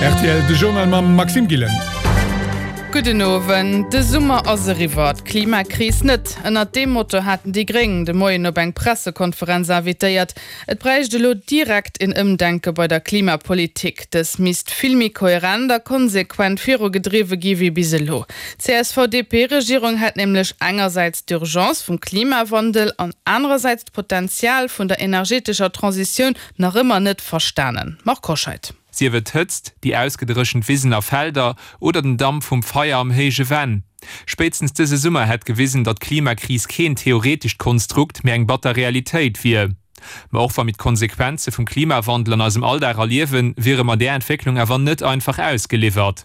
Rtl, De Journal mam Maxime Gillen. Gudden Owend. De Summer ass eriwwer, d'Klimakris net. Ënnert deem Motto haten déi Gréng de Moien op eng Pressekonferenz invitéiert. Et bräicht elo direkt een Ëmdenke bei der Klimapolitik. Dës misst vill méi kohärent a konsequent virugedriwwe gi wéi bis elo. D'CSV-DP-Regierung hätt nämlech engersäits d'Urgence vum Klimawandel an anerersäits d'Potenzial vun der energetescher Transitioun nach ëmmer net verstanen. Marc Hoscheid. Sief et d'Hëtzt, déi ausgedréchent Wisen a Felder oder den Damp vum Feier am héije Venn. Spéitstens dëse Summer hätt gewisen, datt d'Klimakris keen theoretescht Konstrukt, mee eng batter Realitéit wier. Ma och wa mir d'Konsequenze vum Klimawandel an eisem Alldag erliewen, wiere mer där Entwécklung awer net einfach ausgeliwwert.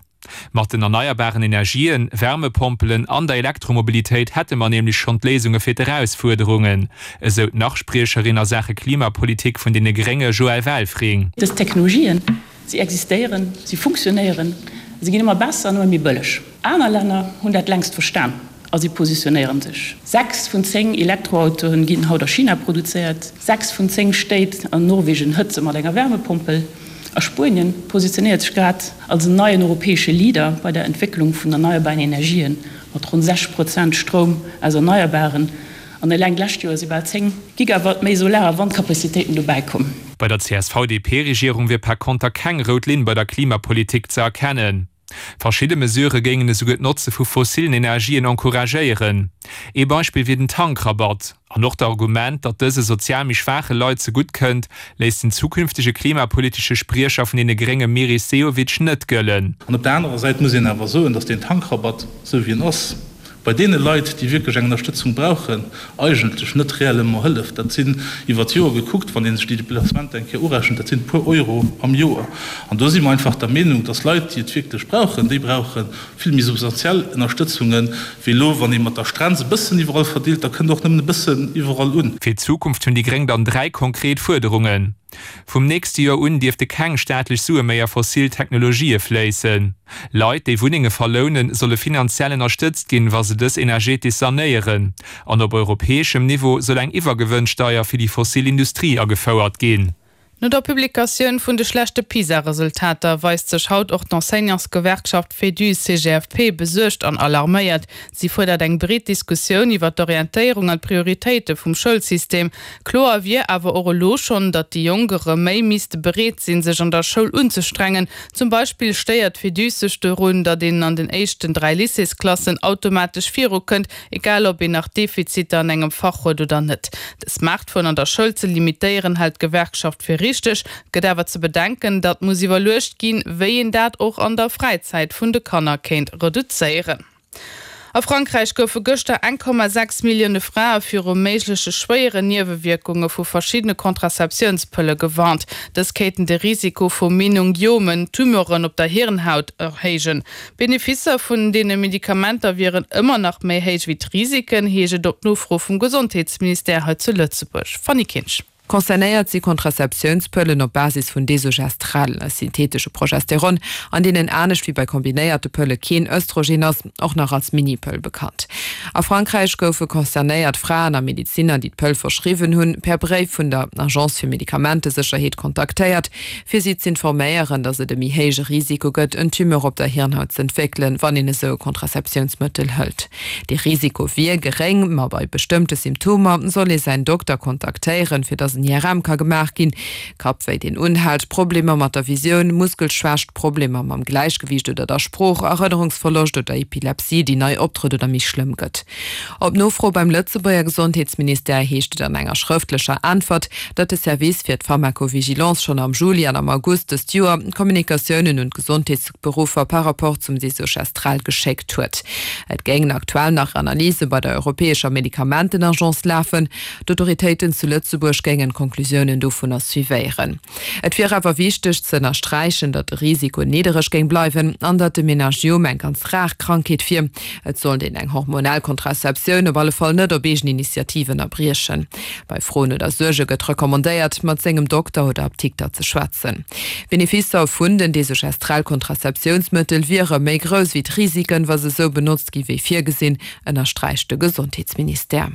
Mat den erneierbaren Energien, Wärmepompelen an der Elektromobilitéit hätte mer nämlech schonn d'Léisunge fir d'Erausfuerderungen, esou d'Nach-Spriecherin a Saache Klimapolitik vun deene Grénge Joëlle Welfring. Dës Technologien, si existéieren, si funktionéieren, si ginn ëmmer besser an ëmmer méi bëlleg. Aner Länner hunn dat längst verstan a si positionéiere sech. 6 vun 10 Elektroautoen ginn haut a China produzéiert, 6 vun 10 Stéit an Norwegen hëtze mat enger Wärmepompel. A Spuenien positionéiert sech grad als en neien europäesche Leader bei der Entwécklung vun erneierbaren Energien, mat ronn 60 Prozent Stroum aus Erneierbaren. An eleng d'lescht Joer si bal 10 Gigawatt méi Solar a Wandkapazitéiten dobäi komm. Bei der CSV-DP-Regierung wier par konter keng rout Linn bei der Klimapolitik ze erkennen. Verschidde Mesurë géingen esouguer d'Notze vu fossillen Energien encouragéieren. Ee Beispill wier den Tankrabatt. An och d'Argument, datt dëse sozial méi schwaache Leit zegutt kënnt, léisst den zukünftege klimapolitesche Spriecher vun deene Grénge Meris Sehovic net gëllen. An op der anerer Säit muss een awer soen, datt deen Tankrabatt, esou wéi en ass, bei deene Leit, déi wierklech eng Ënnerstëtzung brauchen, eigentlech net réellement hëlleft. Dat sinn iwwer d'Joer gekuckt, wann ee sech déi Deplacementer eng Kéier urechent, dat sinn e puer Euro am Joer. An do si mer einfach der Meenung, dass Leit, déi et wierklech brauchen, déi brauche vill méi substantiell Ënnerstëtzunge wéi elo, wann ee mat der Strenz e bëssen iwwerall verdeelt, da kënnt och nëmmen e bëssen iwwerall un. Fir d'Zukunft hunn déi Gréng dann 3 konkret Fuerderungen. Vum nächste Joer un dierfte keng staatlech Sue méi a fossil Technologië fléissen. Leit, déi Wunnenge verlounen, solle finanziell ënnerstëtzt ginn, wa se dës energetesch sanéieren. An op europäeschem Niveau soll eng Iwwergewënnsteier fir déi fossil Industrie agefouert ginn. No der Publikatioun vun de schlechte PISA-Resultater weist sech haut och d'Enseignantsgewerkschaft Féduse-CGFP besuergt an alarméiert. Si fuerdert eng breet Diskussioun iwwer d'Orientéierung an d'Prioritéite vum Schoulsystem. Kloer wier awer och elo schonn, datt déi Jonk erëm méi misste bereet sinn, sech an der Schoul unzestrengen. Zum Beispill stéiert d'Féduse sech dorun, datt een an den éischten 3 Lycéesklassen automatesch virukënnt, Egal ob een nach Defiziter an engem Fach huet oder net. De Smartphone an der Schoul ze limitéieren hält d'Gewerkschaft fir richteg. Et gëtt awer ze bedenken, datt muss iwwerluecht ginn, wéi een dat och an der Fräizäit vun de Kanner kéint reduzéieren. A Frankräich goufe gëschter 1,6 Millioune Frae viru méigleche schwéieren Niewewierkunge vu verschiddene Contraceptiounspëlle gewarnt. Dës kéinten de Risiko vu Meningiomen, Tumeuren op der Hirnhaut, erhéijen. D'Beneficer vun deene Medikamenter wieren ëmmer nach méi héich wéi d'Risiken, heescht et op Nofro vum Gesondheetsministère hei zu Lëtzebuerg. Fanny Kinsch. Concernéiert si Contraceptiounspëllen op Basis vun Desogestrel, e syntheetesche Progesteron, an deenen anescht wéi bei kombinéierte Pëlle keen Östrogen ass, och nach als Minipëll bekannt. A Frankräich goufe concernéiert Fraen a Medezinner, déi d'Pëll verschriwwen hunn, per Bréif vun der Agence fir Medikamentesécherheet kontaktéiert, fir si z'informéieren, datt et e méi héije Risiko gëtt, en Tumeur op der Hirnhaut z'entwéckelen, wann een esou e Contraceptiounsmëttel hëlt. Dee Risiko wier geréng, ma bei bestëmmte Symptomer soll ee säin Dokter kontaktéieren, fir datt en IRM ka gemaach ginn. Kappwéi, deen unhält, Problemer mat der Visioun, Muskelschwächt, Problemer mam Gläichgewiicht oder der Sprooch, Erënnerungsverloscht oder Epilepsie, déi nei optrëtt oder méi schlëmm gëtt. Op Nofro beim Lëtzebuerger Gesondheetsministère heescht et an enger schrëftlecher Äntwert, datt de Service fir d'Pharmacovigilance schonn am Juli an am August dëst Joer Kommunikatiounen un d'Gesondheetsberuffer par rapport zum Desogestrel geschéckt huet. Et géingen aktuell nach Analyse bei der europäescher Medikamentenagence lafen. D'Autoritéiten zu Lëtzebuerg géingen d'Conclusiounen dovunner suivéieren. Et wier awer wichteg ze ënnersträichen, datt de Risiko niddereg géing bleiwen an datt de Meningiom eng ganz rar Krankheet wier. Et sollt een eng hormonell Contraceptioun op alle Fall net op eegen Initiativ ënnerbriechen. Bei Froen oder Suerge gëtt recommandéiert, mat sengem Dokter oder Apdikter ze schwätzen. D'Beneficer vun den Desogestrel-Contraceptiounsmëttel wiere méi grouss wéi d'Risiken, wa se sou benotzt gi wéi virgesinn, ënnersträicht de Gesondheetsministère.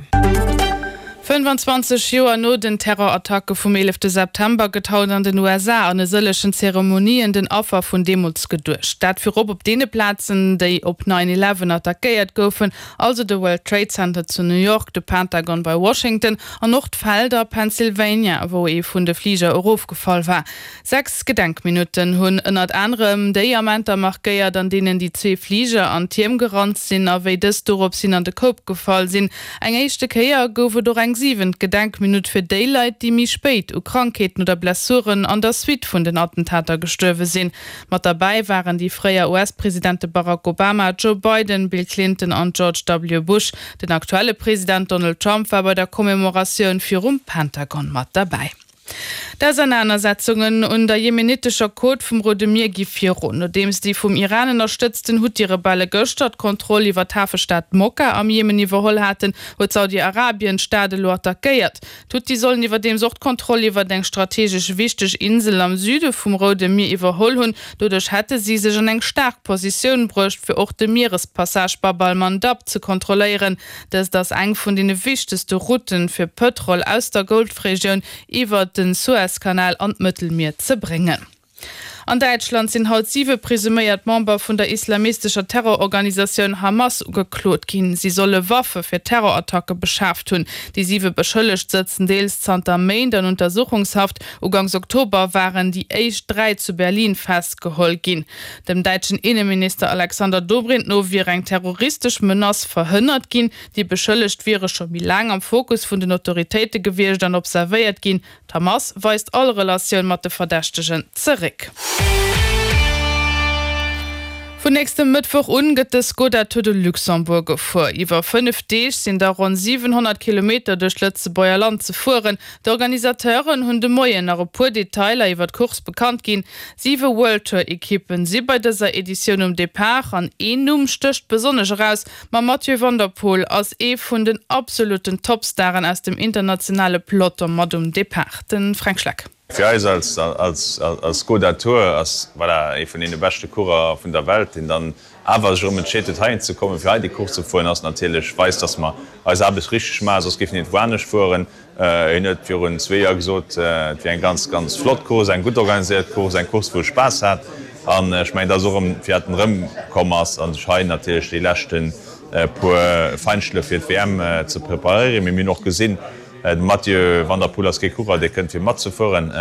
25 Joer no den Terrorattacke vum 11 September gëtt haut an den USA an e sëllechen Zeremonien den Affer vun deemools geduecht. Dat virop op deene Plazen, déi op Nine Eleven attackéiert goufen, also de World Trade Center zu New York, de Pentagon bei Washington an och d'Feld a Pennsylvania, wou ee vun de Fliger erofgefall war. 6 Gedenkminutten hunn ënnert anerem déi Amenter markéiert, an deenen déi zwee Fliger an d'Tierm gerannt sinn a wéi dës dorops hin an de Koup gefall sinn. Eng éischte Kéier gouf et och eng siwent Gedenkminutt fir déi Leit, déi méi spéit u Krankheeten oder Blessuren an der Suite vun den Attentater gestuerwe sinn. Mat derbäi waren déi fréier US-Presidente Barack Obama, Joe Biden, Bill Clinton an George W. Bush. Den aktuelle President Donald Trump war bei der Commemoratioun virum Pentagon mat derbäi. D'Ausernanersetzungen un der jemenitescher Côte vum Roude Mier gi virun. Nodeems déi vum Iran ënnerstëtzten Huthi-Rebelle gëschter d'Kontroll iwwer d'Hafestad Mokka am Jemen iwwerholl haten, huet Saudi-Arabien d'Stad elo attackéiert. D'Huthi sollen iwwerdeems och d'Kontroll iwwer eng strategesch wichteg Insel am Süde vum Roude Mier iwwerholl hunn. Doduerch hätte si sech an eng staark Positioun bruecht, fir och de Mierespassage Bab al-Mandab ze kontrolléieren. Dëst ass eng vun deene wichtegste Routen, fir Pëtrol aus der Golfregioun iwwer de Suezkanal an d'Mëttelmier ze bréngen. An Däitschland sinn haut siwe presuméiert Member vun der islamistescher Terrororganisatioun Hamas ugeklot ginn. Si solle Waffe fir Terrorattacke beschaaft hunn. Déi siwe Beschëllegt sëtzen deels zanter Méint an Untersuchungshaft. Uganks Oktober waren déi éischt 3 zu Berlin festgeholl ginn. Dem däitschen Inneminister Alexander Dobrindt no wier eng terroristesch Menace verhënnert ginn. Déi Beschëllegt wiere scho méi laang am Fokus vun den Autoritéite gewiescht an observéiert ginn. D'Hamas weist all Relatioun mat de Verdächtegen zeréck. Vun nächstem Mëttwoch un gëtt de Skoda Tour de Luxembourg gefuer. Iwwer 5 Deeg sinn da ronn 700 Kilometer duerch d'Lëtzebuerger Land ze fueren. D'Organisateuren hunn de Moien nach e puer Detailer iwwer d'Course bekannt ginn. Siwe World Tour Ekippen si bei dëser Editioun um Depart an een Numm stécht besonnesch eraus, Mam Mathieu van der Poel ass ee vun den absolutten Topstaren aus dem internationale Peloton mat um Depart, de Fränk Schleck. Fir eis als Skoda Tour ass voilà ee vun deene beschte Coureur vun der Welt, deen dann awer sech erëm entscheet huet heihin ze kommen, fir hei déi Course ze fueren, ass natierlech weist, dass mer eis Aarbecht richteg maachen, soss géifen hien et wou anescht fueren. Hien huet virun zwee Joer gesot, et wier eng ganz, ganz flott Course, eng gutt organiséiert Course, eng Course, wou e Spaass hat. An ech mengen, dat ass och erëm, firwat en erëmkomm ass a sech hei natierlech déi leschte puer Feinschlëff fir d'WM ze preparéieren. Mee mir hunn och gesinn, de Mathieu van der Poel ass kee Coureur, dee kënnt fir matzefueren.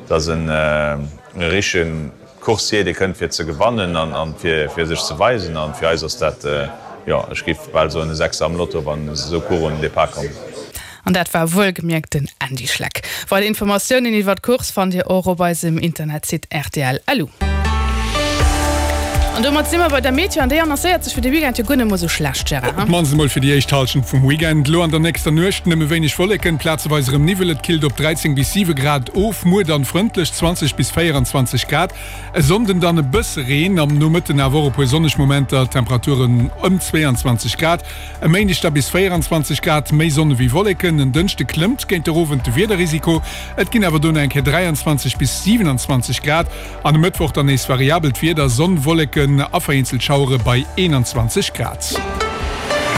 Dat ass e richtegen Coursier, dee kënnt fir ze gewannen an fir sech ze weisen. An fir eis ass dat, jo, ech géif bal soen, e Sechser am Lotto, wann esou Coursen un den Depart kommen. An dat war wuelgemierkt den Andy Schleck. Weider Informatiounen iwwer d'Course fannt Dir och op eisem Internetsite rtl.lu. An domat si mer bei der Meteo an déi annoncéiert sech fir de Weekend jo guer net mol sou schlecht, Gérard, Op d'mannst emol fir déi éischt Hallschent vum Weekend. Elo an der nächster Nuecht nëmme wéineg Wolleken, plazeweis erëm Niwwel, et killt op 13 bis 7 Grad of. Muer dann frëndlech, 20 bis 24 Grad. E Sonnden dann e bësse Reen, am Nomëtten awer och e puer sonneg Momenter, Temperaturen ëm 22 Grad. E Méindeg da bis 24 Grad, méi Sonn ewéi Wolleken. En Dënschde klëmmt géint der Owend de Wiederrisiko, et ginn awer dono eng Kéier 23 bis 27 Grad. An e Mëttwoch dann nees variabelt Wieder, Sonn, Wolleken a vereenzelt Schauere bei 21 Grad.